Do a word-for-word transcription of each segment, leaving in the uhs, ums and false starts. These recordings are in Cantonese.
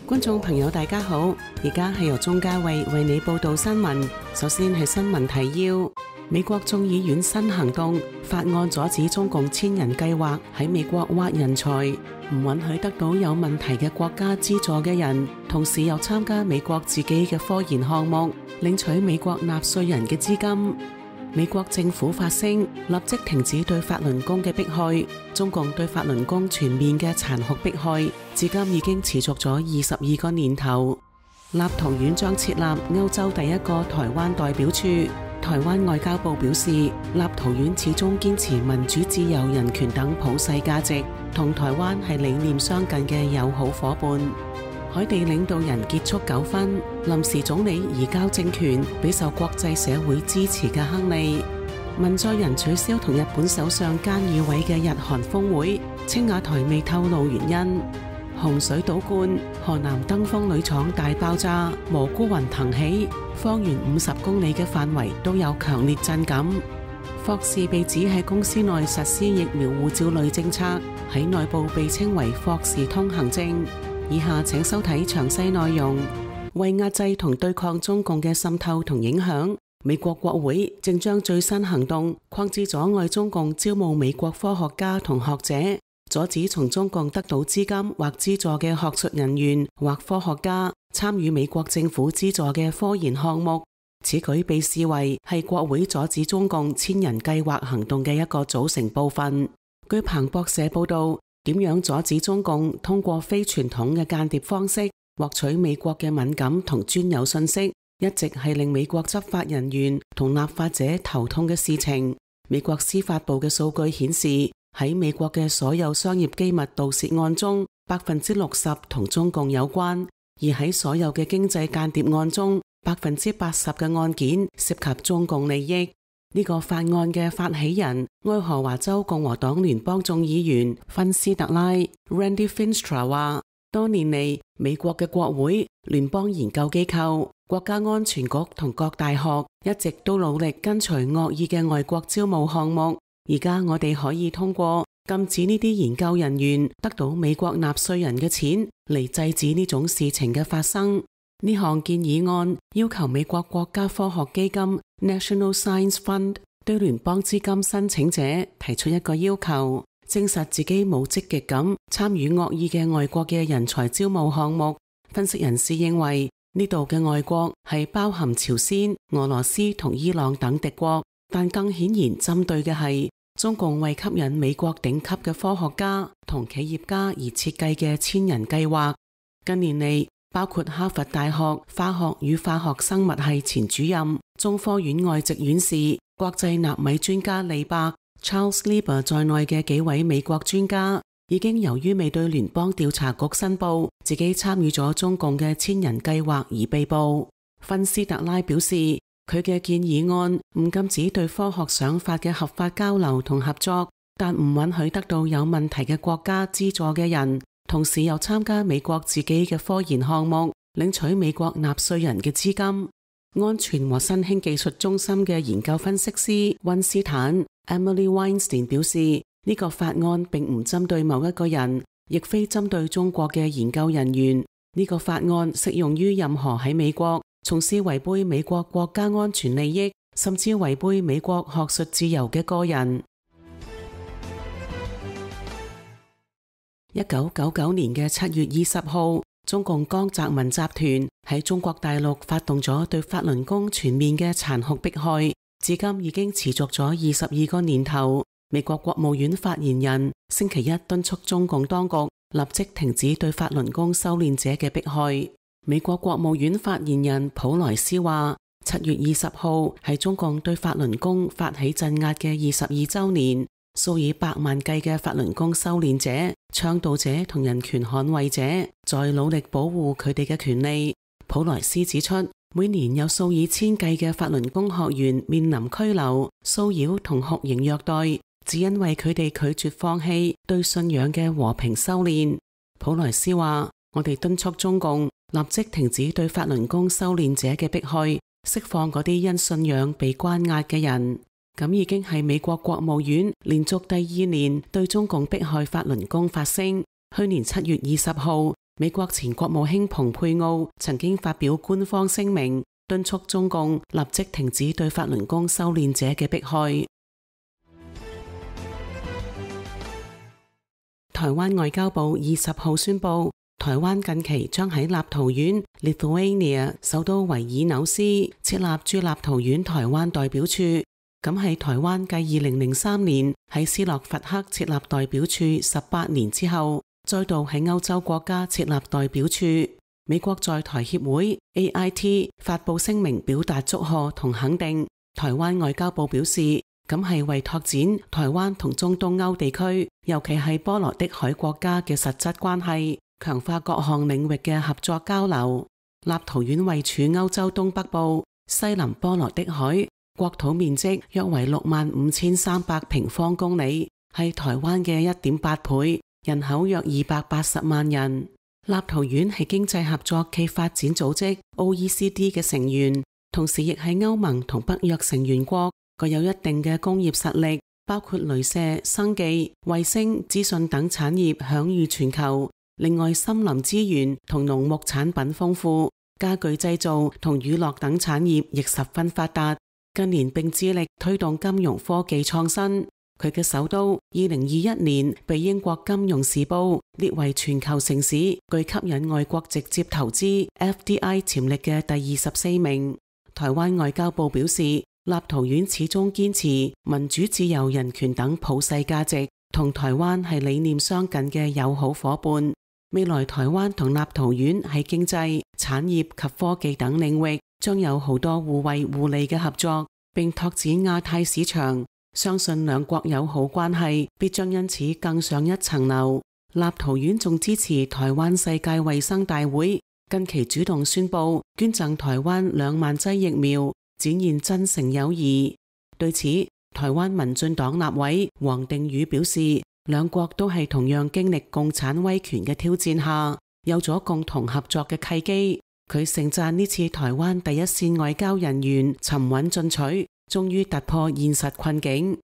觀眾朋友大家好，而家係由鍾嘉慧為你報道新聞。首先係新聞提要：美國眾議院新行動法案阻止中共千人計劃喺美國挖人才，唔允許得到有問題嘅國家資助嘅人，同時又參加美國自己嘅科研項目，領取美國納稅人嘅資金。美國政府發聲，立即停止對法輪功嘅迫害。中共對法輪功全面嘅殘酷迫害，至今已經持續咗二十二個年頭。立陶宛將設立歐洲第一個台灣代表處。台灣外交部表示，立陶宛始終堅持民主、自由、人權等普世價值，同台灣係理念相近嘅友好夥伴。海地領導人結束糾紛，臨時總理移交政權俾受國際社會支持嘅亨利。文在寅取消同日本首相菅義偉嘅日韓峰會，青瓦台未透露原因。洪水倒灌，河南登封鋁廠大爆炸，蘑菇雲騰起，方圓五十公里嘅範圍都有強烈震感。霍士被指喺公司內實施疫苗護照類政策，喺內部被稱為霍士通行證。以下請收睇詳細內容。為壓制同對抗中共嘅滲透同影響，美國國會正將最新行動擴至阻礙中共招募美國科學家同學者，阻止從中共得到資金或資助嘅學術人員或科學家參與美國政府資助嘅科研項目。此舉被視為係國會阻止中共千人計劃行動嘅一個組成部分。據彭博社報道，點樣阻止中共通過非傳統嘅間諜方式獲取美國嘅敏感同專有信息，一直係令美國執法人員同立法者頭痛嘅事情。美國司法部嘅數據顯示，喺美國嘅所有商業機密盜竊案中，百分之六十同中共有關；而喺所有嘅經濟間諜案中，百分之八十嘅案件涉及中共利益。呢個法案嘅發起人，愛荷華州共和黨聯邦眾議員芬斯特拉 Randy Finstra 話，多年嚟，美國嘅國會、聯邦研究機構、國家安全局同各大學一直都努力跟隨惡意嘅外國招募項目。而家我哋可以通過禁止呢啲研究人員得到美國納稅人嘅錢嚟制止呢種事情嘅發生。呢項建議案要求美國國家科學基金 National Science Fund 對聯邦資金申請者提出一個要求，證實自己冇積極咁參與惡意嘅外國嘅人才招募項目。分析人士認為，呢度嘅外國係包含朝鮮、俄羅斯同伊朗等敵國，但更顯然針對嘅係中共為吸引美國頂級嘅科學家同企業家而設計嘅千人計劃。近年嚟，包括哈佛大學化學與化學生物系前主任、中科院外籍院士、國際納米專家李伯 Charles Lieber 在內嘅幾位美國專家，已經由於未對聯邦調查局申報自己參與咗中共嘅千人計劃而被捕。芬斯特拉表示，佢嘅建議案唔禁止對科學想法嘅合法交流同合作，但唔允許得到有問題嘅國家資助嘅人，同時又參加美國自己嘅科研項目，領取美國納稅人嘅資金。安全和新興技術中心嘅研究分析師溫斯坦 Emily Weinstein 表示，呢、這個法案並唔針對某一個人，亦非針對中國嘅研究人員。呢、這個法案適用於任何喺美國從事違背美國國家安全利益，甚至違背美國學術自由嘅個人。一九九九年嘅七月二十號，中共江澤民集團喺中國大陸發動咗對法輪功全面嘅殘酷迫害，至今已經持續咗二十二個年頭。美國國務院發言人星期一敦促中共當局立即停止對法輪功修煉者嘅迫害。美國國務院發言人普萊斯話，七月二十號係中共對法輪功發起鎮壓嘅二十二週年。數以百萬計嘅法輪功修煉者、倡導者同人權捍衛者在努力保護佢哋嘅權利。普萊斯指出，每年有數以千計嘅法輪功學員面臨拘留、騷擾同酷刑虐待，只因為佢哋拒絕放棄對信仰嘅和平修煉。普萊斯話，我哋敦促中共立即停止對法輪功修煉者嘅迫害，釋放嗰啲因信仰被關押嘅人。咁已經係美國國務院連續第二年對中共迫害法輪功發聲。去年七月二十號，美國前國務卿蓬佩奧曾經發表官方聲明，敦促中共立即停止對法輪功修煉者嘅迫害。台灣外交部二十號宣布，台灣近期將喺立陶宛 Lithuania 首都維爾紐斯設立駐立陶宛台灣代表處，咁係台灣繼二零零三年喺斯洛伐克設立代表處十八年之後，再度喺歐洲國家設立代表處。美國在台協會 A I T 發布聲明表達祝賀同肯定。台灣外交部表示，咁係為拓展台灣同中東歐地區，尤其係波羅的海國家嘅實質關係，強化各項領域嘅合作交流。立陶宛位處歐洲東北部，西臨波羅的海，國土面積約為六萬五千三百平方公里，係台灣嘅一點八倍，人口約二百八十萬人。立陶宛係經濟合作暨發展組織 O E C D 嘅成員，同時亦係歐盟同北約成員國，具有一定嘅工業實力，包括鐳射、生技、衛星、資訊等產業享譽全球。另外，森林資源同農牧產品豐富，家具製造同娛樂等產業亦十分發達。近年並致力推動金融科技創新。佢嘅首都二零二一年被英國金融時報列為全球城市具吸引外國直接投資 F D I 潛力嘅第二十四名。台灣外交部表示，立陶宛始終堅持民主、自由、人權等普世價值，同台灣係理念相近嘅友好夥伴。未來台灣同立陶宛喺經濟、產業及科技等領域將有好多互惠互利嘅合作，並拓展亞太市場。相信兩國友好關係必將因此更上一層樓。立陶宛仲支持台灣世界衛生大會，近期主動宣布捐贈台灣兩萬劑疫苗，展現真誠友誼。對此，台灣民進黨立委黃定宇表示，兩國都係同樣經歷共產威權嘅挑戰下，有咗共同合作嘅契機。佢盛讚呢次台灣第一線外交人員沉穩進取，終於突破現實困境。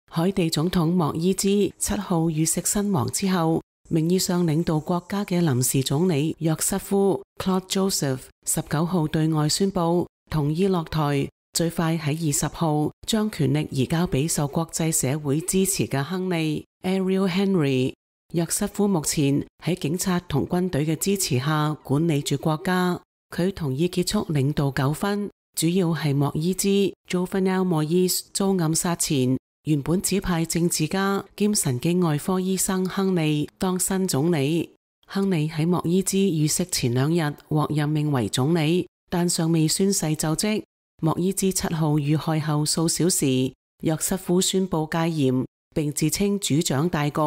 海地總統莫伊茲七號遇刺身亡之後，名義上領導國家嘅臨時總理約瑟夫 Claude Joseph 十九號對外宣布同意落台，最快喺二十號將權力移交俾受國際社會支持嘅亨利 Ariel Henry。約瑟夫目前喺警察同軍隊嘅支持下管理住國家。佢同意結束領導糾紛，主要係莫伊茲 Jovenel Moise 遭暗殺前，原本指派政治家兼神經外科醫生亨利當新總理。亨利喺莫伊茲遇刺前兩日獲任命為總理，但尚未宣誓就職。莫伊茲七號遇害後數小時，約瑟夫宣布戒嚴，並自稱主掌大局，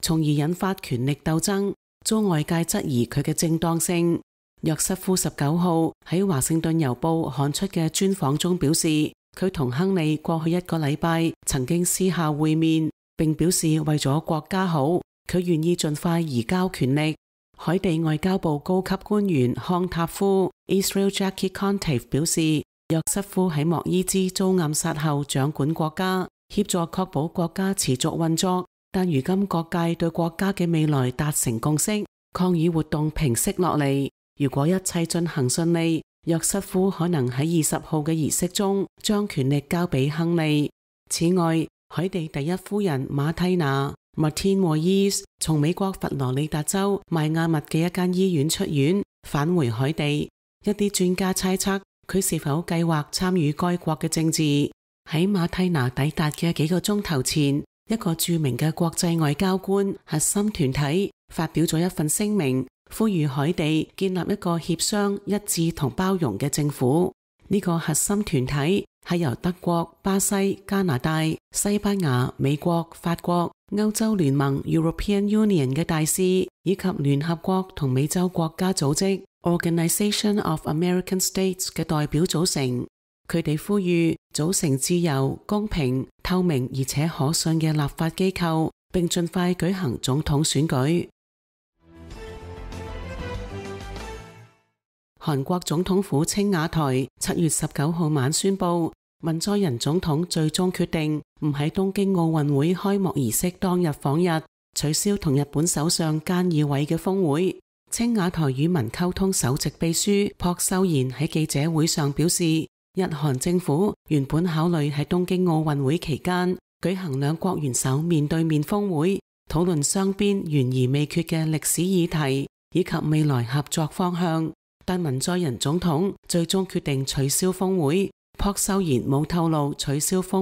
從而引發權力鬥爭，遭外界質疑佢嘅正當性。約瑟夫十九號喺華盛頓郵報刊出嘅專訪中表示，佢同亨利過去一個禮拜曾經私下會面，並表示為咗國家好，佢願意盡快移交權力。海地外交部高級官員康塔夫 Israel Jackie Contive 表示，約瑟夫喺莫伊茲遭暗殺後掌管國家，協助確保國家持續運作，但如今各界對國家嘅未來達成共識，抗議活動平息落嚟。如果一切進行順利，約瑟夫可能喺二十號嘅儀式中將權力交俾亨利。此外，海地第一夫人馬蒂娜 Martine Moïse 從美國佛羅里達州邁阿密嘅一間醫院出院，返回海地。一啲專家猜測佢是否計劃參與該國嘅政治。喺馬蒂娜抵達嘅幾個鐘頭前，一個著名嘅國際外交官核心團體發表咗一份聲明，呼籲海地建立一個協商、一致同包容嘅政府。呢、這個核心團體係由德國、巴西、加拿大、西班牙、美國、法國、歐洲聯盟 European Union 嘅大使，以及聯合國同美洲國家組織 Organization of American States 嘅代表組成。佢哋呼籲組成自由、公平、透明而且可信嘅立法機構，並盡快舉行總統選舉。韓國總統府青瓦台七月十九號晚宣布，文在寅總統最終決定唔喺東京奧運會開幕儀式當日訪日，取消同日本首相菅義偉嘅峰會。青瓦台與民溝通首席秘書朴秀賢喺記者會上表示，日韓政府原本考慮喺東京奧運會期間舉行兩國元首面對面峰會，討論雙邊懸而未決嘅歷史議題以及未來合作方向，但文在寅總統最終決定取消峰會。朴秀賢冇透露取消峰